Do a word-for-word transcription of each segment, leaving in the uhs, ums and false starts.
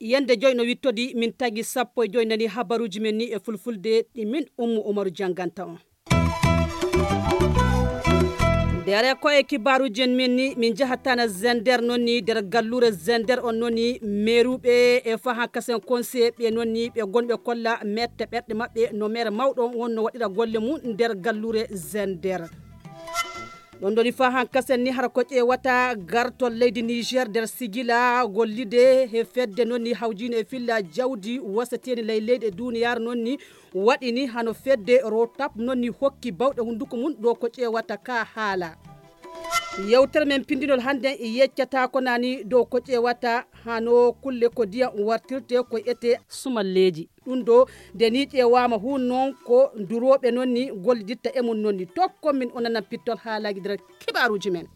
Yande joy no wittodi, min tagi sappo e joy nani habaruji men ni e fulfulde, ɗi min Ummu Umaru jannganta on. Ndere ko e kibaruji en men ni, min jahatana Zender non ni, nder gallure Zender on non ni, meruɓe e fahan kasen conseiller ɓe non ni, ɓe gonɓe kolla mette ɓerɗe maɓɓe no mere mawɗo on wonno waɗira golle mum nder gallure Zender. Ɗon ɗoni fahan kasen ni hara ko ƴeewata gartol leydi Niger nder sigila gollide he fedde non ni hawjine e filla jawdi wasateni ley leyɗe duniyaaru non ni waɗi ni hano fedde Rotap non ni hokki bawɗe hunduko mum ɗo ko ƴeewata ka haala. Yewtere men pindinol hannde yeccata ko nani dow ko ƴeewata hano kulle ko ndiyam wartirte ko ete sumalleeji. Ɗum ɗo nde ni ƴeewaama hu non ko durooɓe non ni golliditta e mum non ni. Tokkon min o nanan pittol haalaaji nder kibaaruuji men.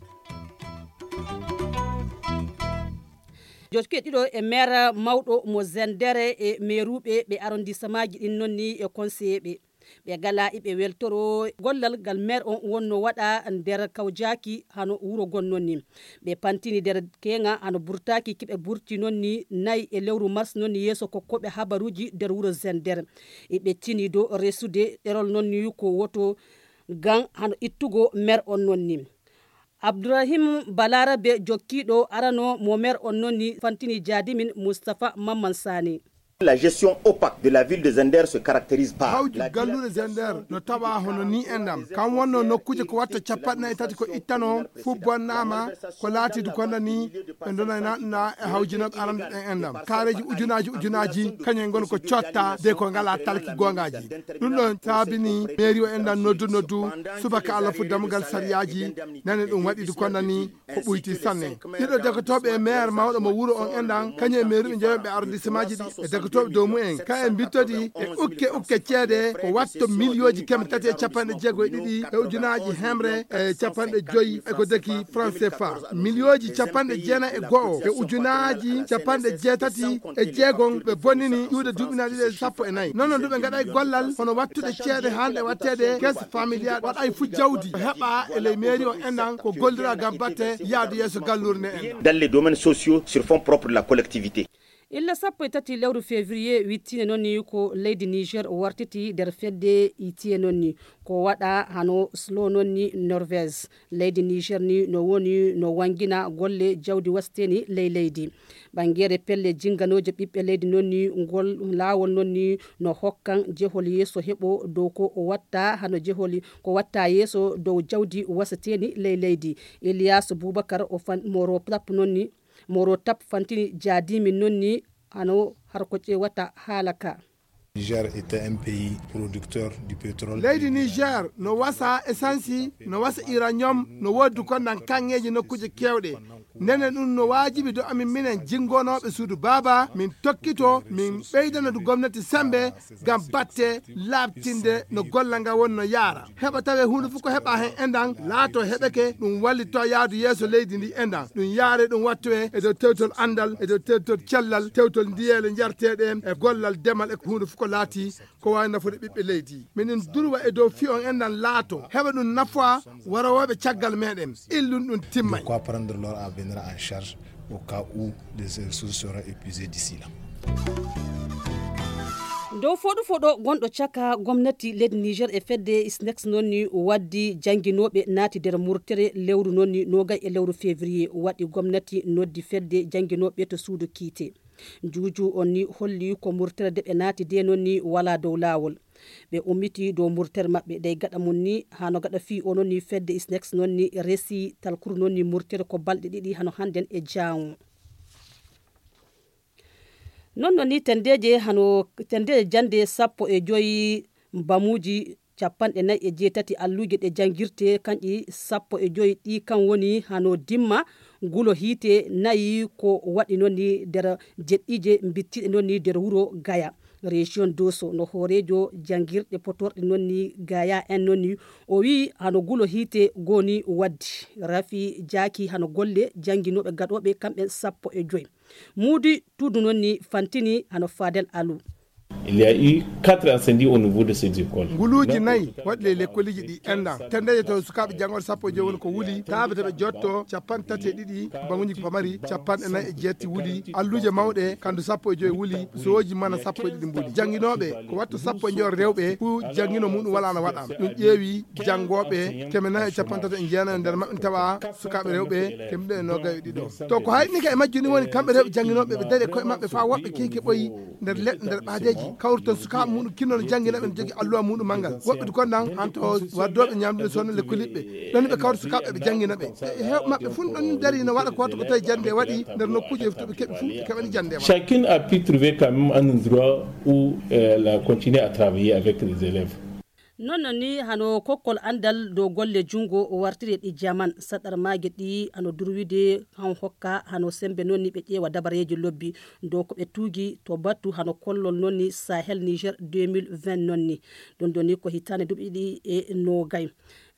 Jokke ɗiɗo e maire mawɗo mo Zendere e meeruuɓe ɓe arrondissemaaji ɗin non ni e conseiller ɓe. Ɓe gala iɓe weltoro gollal ngal maire on wonno waɗa nder kawjaaki hano wuro gon non ni. Ɓe pantini nder keŋa hano burtaaki kiɓe burti non ni nayi e lewru mars non ni yeeso kokkoɓe habaruuji nder wuro Zender. Iɓe tini dow resude ɗerol non ni ko woto gan hano ittugo maire on non ni. Abdourahim Balarabe jokkiiɗo arano mo maire on non ni fantini jaadimin Moustapha Mamman Sani. La gestion opaque de la ville de Zender se caractérise par hawju la galluure Zender no tawa hono ni endam kam wonno nokkuje ko watta capanɗe nayi tati ko ittano fof bonnama ko laatidu konda ni ɓe donaynaɗuna e hawjinoɓe arande ɗen endam kareji ujunaji ujunaji kañum ngon ko cotta de ko ngala talki gongaji ɗum ɗon saabini mairie o endam noddu noddu subaka allah fu dammugal sariyaji nane ɗum waɗidu konda ni ko ɓuyti sanne. Ɗiɗo dekotooɓe e maire mawɗo mo wuro on enɗan, kañum e mairuɓe jeeyoɓe arrondissemaaji ɗi e dekotooɓe dow mumen. Ka en mbittodi e ukke ukke ceede ko watto miliyooji keme tati e capanɗe jeego e ɗiɗi e ujunaaji hemre e capanɗe joyi e ko deki franc C F A. Miliyooji capanɗe jeenayi e go'o e ujunaaji capanɗe jeetati e jeegom ɓe bonnini ƴuuɗe duuɓi na ɗiɗi e sappo e nayi. Non non duɓe ngaɗay gollal hono wattude ceede hande watteede caisse familiale waɗay fu jawdi heɓa e ley mairie o enɗan ko gollira ngam batte yaadu yeeso galluure nde en. Dans les domaines sociaux sur fonds propres de la collectivité. Illa sappo e tati lewru février wittine noon ni ko leydi Niger wartiti nder fedde itiye noon ni ko waɗa hano slo noon ni Norvège. Leydi Niger ni no woni no wangina golle jawdi wasteni ley leydi. Ɓangere pelle jinganooje ɓiɓɓe leydi noon ni ngol laawol noon ni no hokkan jehol yeeso heɓo dow ko watta hano jeholi ko watta yeeso dow jawdi wasateni ley leydi. Ilias Boubacar o fan moro tap noon ni moro tap fantini jaadimin noon ni hano har ko ƴewata haala ka. Niger est un pays producteur du pétrole. Leydi Niger no wasa esansi, no wasa uranium, no woodi kondan kaŋŋeeji nokkuuje keewɗe. Nene ɗum no waajibi do amin minen jinngonooɓe suudu baaba, min tokkito, min ɓeydana du gomnati sembe ngam batte laaɓtinde no golla nga won no yaara. Heɓa tawe huunde fof ko heɓa heen enɗan laato heɓeke ɗum wallito yaadu yeeso leydi ndi enɗan. Ɗum yaare ɗum wattoye e dow tewtol anndal, e dow tewtol cellal, tewtol ndiyeele njarteeɗe e gollal demal e ko huunde fof ko laati ko waawi nafude ɓiɓɓe leydi. Minen durwa e dow fiyon enɗan laato heɓa ɗum nafoa warowooɓe caggal meɗen. Illun ɗum timmay. Pourquoi prendre l'or à venir en charge au cas où les ressources seront épuisées d'ici là. Dow foɗu foɗo gonɗo caka gomnati leydi Niger e fedde isnex noon ni waddi jannginooɓe naati nder murtere lewru noon ni nogay e lewru février waɗi gomnati noddi fedde jannginooɓe to suudu kiite. Juuju on ni holli ko murtere de ɓe naati de noon ni wala dow laawol. Ɓe ummiti dow murtere maɓɓe dey gaɗa mum ni hano gaɗa fii o noon ni fedde isnex noon ni resi talkuru noon ni murtere ko balɗe ɗiɗi hano hannden e jaawo. Non non ni tendeeje hano tendeeje jannde sappo e joyi mbamuuji capanɗe nayi e jeetati alluuje ɗe janngirte kanƴi sappo e joyi ɗi kan woni hano dimma gulo hiite nayi ko waɗi noon ni nder jeɗɗiije mbittiɗe noon ni nder wuro gaya. Région doso no hooreejo janngirɗe potorɗe noon ni gaya en noon ni o wii hano gulo hiite goni waddi rafi jaaki hano golle jannginooɓe gaɗooɓe kamɓe sappo e joyi. Muudi tuudu noon ni fantini hano fadel alu. Il y a eu quatre incendies au niveau de ces écoles. Nguluuji nayi waɗi ley lekkoliji ɗi enɗan. Tendeje taw sukaaɓe janngooɓe sappo e joyi woni ko wuli, taaɓe taɓe jotto capanɗe tati e ɗiɗi banguji pamari, capanɗe nayi e jeetti wuli, alluuje mawɗe kandu sappo e joyi wuli, sooji mana sappo e ɗiɗi mbuli. Jannginooɓe ko wattu sappo e joyi rewɓe, ku janngino muɗum wala na waɗaama. Ɗum ƴeewi janngooɓe keme nayi e capanɗe tati e jeenayi nder maɓɓe tawa sukaaɓe rewɓe keme ɗiɗi e noogay e ɗiɗo. To ko hayni ka e majjum ni woni kamɓe rewɓe jannginooɓe ɓe daɗi koye maɓɓe faa woɓɓe keeke ɓoyi nder leɗɗe nder ɓaadeeji kawruton sukaaɓe muɗum kinno no janngina ɓe no jogi alluwa muɗum manngal woɓɓe du konnan hanto waddooɓe ñaamdude soono lekkoliɓɓe ɗon ɓe kawta sukaaɓe ɓe janngina ɓe e heewɓe maɓɓe fun ɗon dari no waɗa ko watta ko tawi jannde waɗi nder nokkuuji e to ɓe keɓi fuu ɓe keɓani jannde waɗa. Chacune a pu trouver quand même un endroit où euh, elle a continué à travailler avec les élèves. Non non ni hano kokkol andal dow golle jungo wartiri e ɗi jaman saɗar maage ɗi hano durwide han hokka hano sembe non ni ɓe ƴeewa dabareeji lobbi dow ko ɓe tuugi to battu hano kollol non ni sahel niger deux mille vingt non ni ɗum ɗo ni ko hitande duuɓi ɗiɗi e nogay.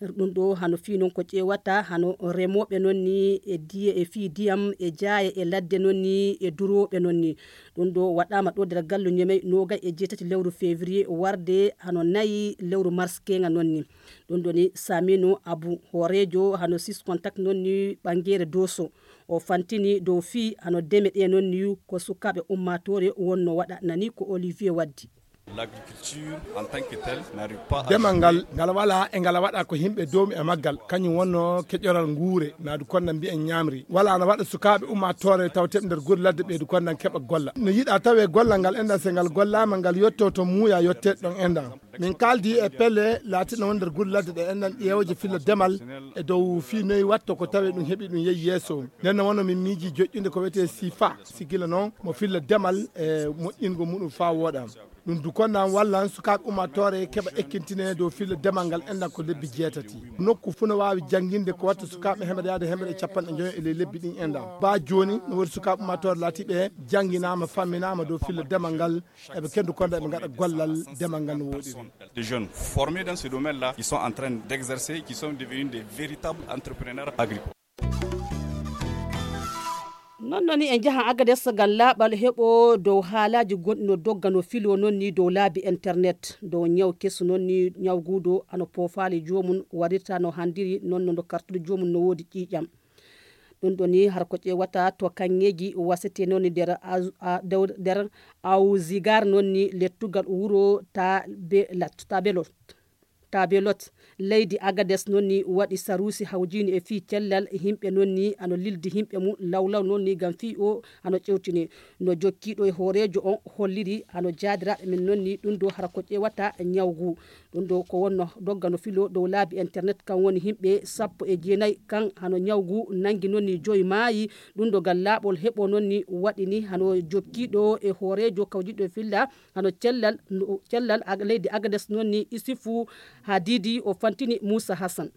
Ɗum ɗo hano fii non ko ƴeewata hano remooɓe non ni e diye e fii diyam e jaaye e ladde non ni e durooɓe non ni. Ɗum ɗo waɗaama ɗo nder gallu ñemey noogay e jeetati lewru février warde hano nayi lewru mars keŋa non ni. Ɗum ɗo ni samino abu hooreejo hano sis contact non ni ɓangeere doso o fantini dow fii hano deme ɗe non ni ko sukaaɓe ummaatoore wonno waɗa nani ko olivier waddi. Demal ngal ngal wala e ngal waɗa ko yimɓe doomi e maggal kañum wonno keƴoral nguure naadu konda mbiyen ñaamri wala ana waɗa sukaaɓe ummaatoore taw teɓ nder gure ladde ɓeydu kondan keɓa golla no yiɗa tawe gollal ngal enɗan so ngal gollaama ngal yetto to muuya yetteeɗo ɗon enɗan. Min kaaldi e pelle laatiɗo won nder gure ladde ɗe enɗan ƴeewooje filla demal e dow fii noyi watto ko tawe ɗum heɓi ɗum yehi yeeso. Nden no wonno min miiji joƴƴude ko wiyetee sifa si gila noon mo filla demal e moƴƴingol muɗum faa wooɗa. Ɗum du konnan wallan sukaaɓe ummaatoore keɓa ekkintine dow filla demal ngal enɗan ko lebbi jeetati. Nokku fuu no waawi jannginde ko watta sukaaɓe hemere yaade hemere e capanɗe njoyo e ley lebbi ɗin enɗan. Baa jooni no woodi sukaaɓe ummaatoore laatiiɓe jannginaama famminaama dow filla demal ngal eɓe kendu konda eɓe ngaɗa gollal demal ngal no wooɗiri. Des jeunes formés dans ce domaine là qui sont en train d'exercer qui sont devenus des véritables entrepreneurs agricoles. Non non ni en njaha agades ngam laaɓal heɓo dow haalaaji gonɗi no dogga no filo non ni dow laabi internet dow ñaw keso non ni ñawguudo hano poofaali joomum warirta no handiri non no no kartude joomum no woodi ƴiiƴam. Ɗum ɗo ni har ko ƴeewata to kaŋŋeeji wasete non ni nder nder awzigar non ni lettugal wuro tabelot tabelot leydi agades noon ni waɗi saruusi hawjiini e fii cellal yimɓe noon ni hano lildi yimɓe mum lawlaw noon ni ngam fii o hano ƴewtini. No jokkiiɗo e hooreejo on holliri hano jaadiraaɓe men noon ni ɗum ɗo hara ko ƴeewata ñaw ngu. Ɗum ɗo ko wonno dogga no filo dow laabi internet kan woni yimɓe sappo e jeenayi kan hano ñaw ngu nanngi noon ni joyi maayi. Ɗum ɗo ngal laaɓol heɓo noon ni waɗi ni hano jokkiiɗo e hooreejo kawjiiɗo e filla hano cellal cellal leydi agades noon ni isifu haa diidi o fantini muusa hassan.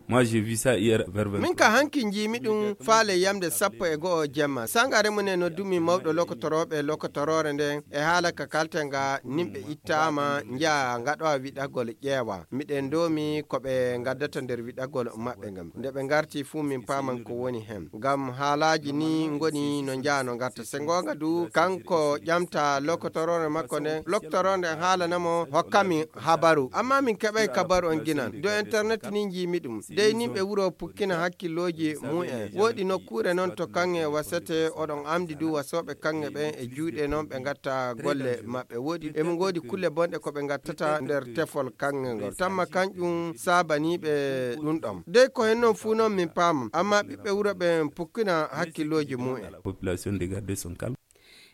Moi j'ai vu ça hier vers vingt. Min ka hanki njiimi ɗum faale yamde sappo e go'o jemma sangare mum e noddumi mawɗo lokotorooɓe lokotoroore nden e haala ka kalten ga nimɓe ittaama njaha ngaɗowa wiɗagol ƴeewa miɗen ndoomi ko ɓe ngaddata nder wiɗagol maɓɓe ngam nde ɓe ngarti fuu min paaman ko woni hen ngam haalaaji ni ngoni no njaha no ngarta se ngoonga du kanko ƴamta lokotoroore makko nden lokotoroore nden haalanamo hokkami habaru amma min keɓay kabaru on ginan do internet ni njiimi ɗum dey nimɓe wuro pukkina hakkillooji mumen woodi nokkuure non to kaŋŋe wasete oɗon amdi du wasooɓe kaŋŋe ɓen e juuɗe non ɓe ngatta golle maɓɓe woodi emo ngoodi kulle bonɗe ko ɓe ngattata nder tefol kaŋŋe ngol tamma kanƴum saabaniiɓe ɗum ɗon dey ko hen non fuu non min paamam amma ɓiɓɓe wuro ɓen pukkina hakkillooji mumen.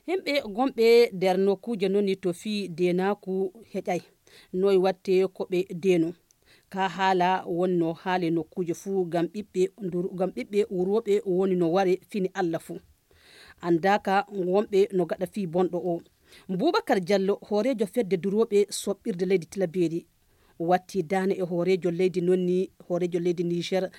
Himɓe gonɓe nder nokkuuje non ni to fii deenaaku heƴay noy watte ko ɓe deeno. Ka haala wonno haale nokkuuje fuu ngam ɓiɓɓe ngam ɓiɓɓe wurooɓe woni no ware fini allah fuu. Anndaaka wonɓe no gaɗa fii bonɗo o. Buubakar jallo hooreejo fedde durooɓe soɓɓirde leydi tilabeeri watti daane e hooreejo leydi nonni hooreejo leydi niger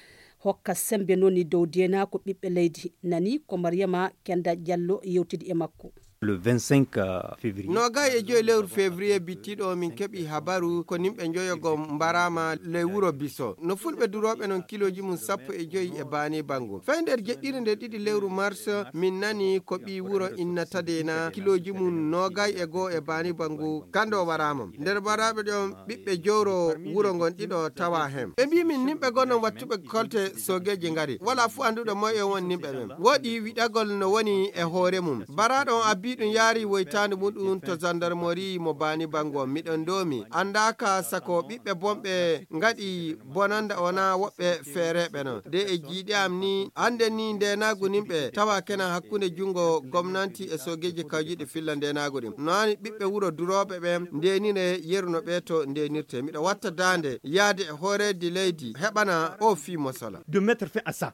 hokka sembe nonni dow deenaako ɓiɓɓe leydi nani ko mariyama kenda jallo yewtidi e makko. Le vingt-cinq février. Noogay e joyi lewru février bittiiɗo, min keɓi habaru ko nimɓe njoyo go mbaraama ley wuro Biso. No fulɓe durooɓe non kilooji mum sappo e joyi e baani bangu. Fay nder jeɗɗire nde ɗiɗi lewru mars, min nani ko ɓii wuro Inna Tadeena kilooji mum noogay e goo e baani bangu, kando waraama. Nder mbaraaɓe ɗon ɓiɓɓe jowro wuro ngon ɗiɗo tawa hen. Ɓe mbii min nimɓe gonnon wattuɓe kolte soogeeji ngari. Wala fuu annduɗo moye won nimɓe ɓen. Woɗi wiɗagol no woni e hoore mum. Baraaɗo on abbii ɗum yaari woytaande muɗum to zandarmori mo baani bango. Miɗon ndoomi. Anndaaka sako ɓiɓɓe bonɓe ngaɗi bonanda o naa woɓɓe feereeɓe non. De e jiiɗe am ni, hannde ni ndeenaagu nimɓe tawa kenan hakkunde junngo gomnanti e soogeeji kawjiiɗi filla ndeenaagu ɗin. No hani ɓiɓɓe wuro durooɓe ɓen ndeenire yeru no ɓee to ndeenirte. Miɗo watta daande yaade e hooreeji leydi heɓana o fii mosola. De mettre fin à ça.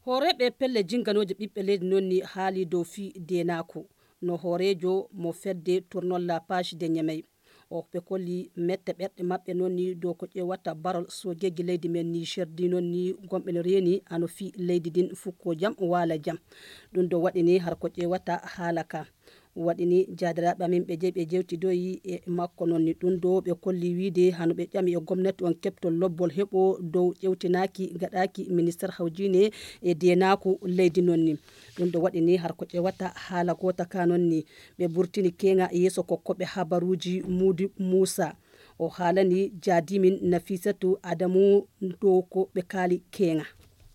Hooreeɓe pelle jinnganooje ɓiɓɓe leydi non ni haali dow fii deenaaku. No hooreejo mo fedde Tournons la page de Niamey. O ɓe kolli mette ɓerɗe maɓɓe non ni dow ko ƴeewata barol soojeeji leydi men Niger di non ni gomɓe no reeni hano fii leydi din fukko jam waala jam. Ɗum ɗo waɗi ni har ko ƴeewata haala ka. Waɗi ni jaadiraaɓe amin ɓe jeyi ɓe jewtidoyi e makko non ni ɗum ɗo ɓe kolli wiide hano ɓe ƴami e gomnati on keɓtol lobbol heɓo dow ƴewtinaaki gaɗaaki minister hawjine e deenaaku leydi non ni. Ɗum ɗo waɗi ni har ko ƴeewata haala goota ka non ni. Ɓe burtini keeŋa yeeso kokkoɓe habaruuji Muudi Muusa. O haalani jaadimin Nafisatu Adamu dow ko ɓe kaali keeŋa.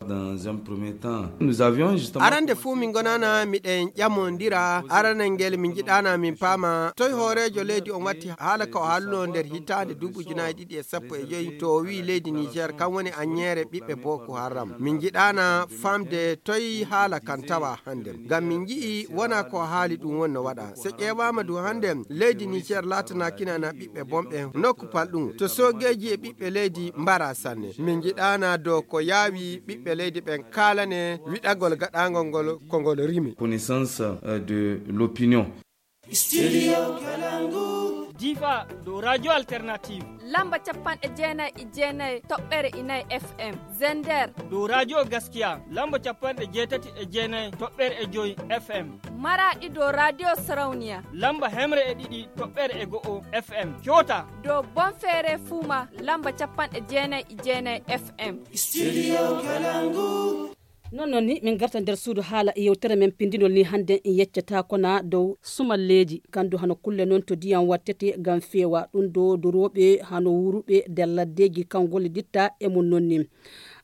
Dans un premier temps, nous avions justement Arande fuu min gonana miɗen ƴamondira aranel ngel min njiɗana min paama toy hooreejo leydi on watti haala ka o haalno nder hitaande duuɓi ujunaaji ɗiɗi e sappo e joyi to o wi'i leydi Niger kan woni aññeere ɓiɓɓe Boko Haram. Min njiɗana famde toy haala kan tawa hannden. Ngam min nji'i wona ko o haali ɗum woni no waɗa. So ƴeewaama du hannden leydi Niger laatanaakina na ɓiɓɓe bonɓe nokku palɗum. To soogeeji e ɓiɓɓe leydi mbara sanne. Min njiɗana dow ko yaawi ɓiɓɓe leydi ɓen kaalane wiɗagol gaɗaangol ngol ko ngol rimi. Connaissance, euh, de l'opinion. Studio Kalangu. Difa dow Radio Alternative. Lamba capanɗe jeenayi e jeenayi toɓɓere inayi F M. Zender. Dow Radio Gaskiya. Lamba capanɗe jeetati e jeenayi toɓɓere e joyi F M. Maraɗi dow Radio Sarauniya. Lamba hemre e ɗiɗi toɓɓere e go'o F M. Coota. Dow Bonfere Fuma. Lamba capanɗe jeenayi e jeenayi F M. Studio Kalangu. Non non ni min garta nder suudu haala yewtere men pindinol ni hannde en yeccata kona dow sumalleeji kandu hano kulle non to diyam wattete ngam feewa ɗum ɗo durooɓe hano wuruɓe nder laddeeji kan golliditta e mum non ni.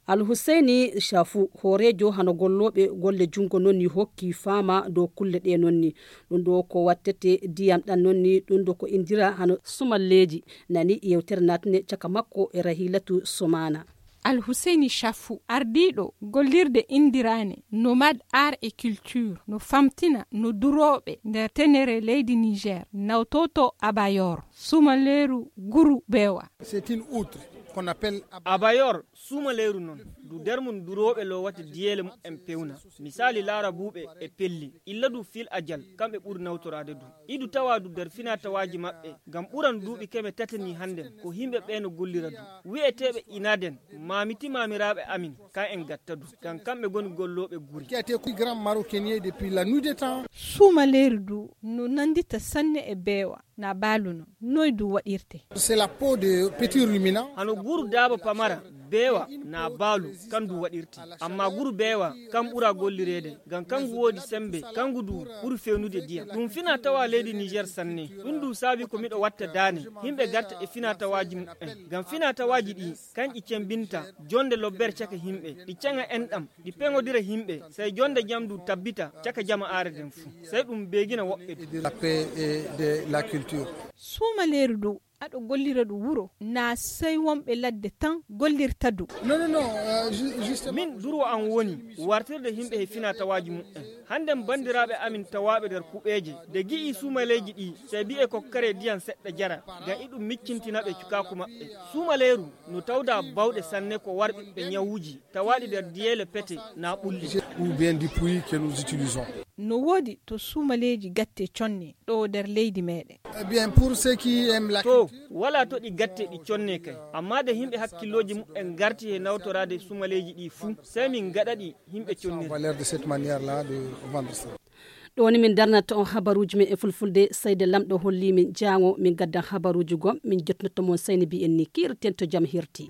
Alhuseyni Shafu hooreejo hano gollooɓe golle junngo non ni hokki faama dow kulle ɗe non ni ɗum ɗo ko wattete diyam ɗan non ni ɗum ɗo ko indira hano sumalleeji. Nani yewtere natne caka makko e Rahilatu Sumana. Alhuseyni Shafu, ardiiɗo gollirde inndiraane Nomad Art et Culture, no famtina no durooɓe nder tenere leydi Niger nawtoto Abayor, sumaleeru guru beewa. C'est une outre qu'on appelle Abayor, sumaleeru non, du nder mum durooɓe lowata diyeele mumen pewna. Misaali laarabuuɓe e pelli, illa du fil ajal, kamɓe ɓuri nawtoraade du. Idu tawa du nder finatawaaji maɓɓe, ngam ɓuran duuɓi keme tati ni hannden, ko himɓe ɓe no gollira du. Wi'eteeɓe inaden, maamiti maamiraaɓe amin, kan en gatta du. Ngam kamɓe ngoni gollooɓe guri. Qui a été grand maroquinier depuis la nuit des temps. Suumaleeri du no nanndita sanne e beewa, na baalu non. Noy du waɗirte? C'est la peau de petit ruminant. Hano guru daaba pamara, beewa, na baalu, kan du waɗirte. Amma guru beewa, kan ɓura gollireede, ngam kangu woodi sembe, kangu du ɓuri fewnude diyam. Ɗum fina tawa leydi Niger sanne. Ɗum du saabi ko miɗo watta daane, himɓe garta e fina tawaaji mumen. Ngam fina tawaaji ɗi, kanƴi cembinta, jonde lobbere caka himɓe, ɗi caŋa enɗam, ɗi peŋodira himɓe, sey jonde jam du tabbita caka jama aare den fu. Sey ɗum beegina woɓɓe du. De la paix et de la culture. Suumaleeru du, aɗo gollira du wuro, na sey wonɓe ladde tan gollirta du. Non, non, non, euh, ju-, justement. Min durwo an woni wartirde himɓe he fina tawaaji mumen. Hannden banndiraaɓe amin tawaaɓe nder kuɓeeje, de gi'i suumaleeji ɗi, sey bi'e kokkere diyam seɗɗa jara, ngam iɗum miccintina ɓe cukaaku maɓɓe. Suumaleeru no tawda bawɗe sanne ko warɓiɓɓe ñawuuji, tawaaɗi nder diyeele pete na ɓulli. Ou bien du puits que nous utilisons. No woodi to suumaleeji gatte conne ɗo nder leydi meɗen. Eh bien, pour ceux qui aiment la To, culture, wala to ɗi gatte ɗi conne kay. Amma de himɓe hakkillooji mumen ngarti he nawtoraade suumaleeji ɗi fuu, sey min ngaɗa ɗi himɓe connira. On va leur de cette manière-là de vendre ça. Ɗo ni min darnata on habaruuji men e fulfulde, seyde lamɗo holli min jaango min gaddan habaruuji gom min jotnoto mon sayni mbiyen ni kiirten to jam hirti.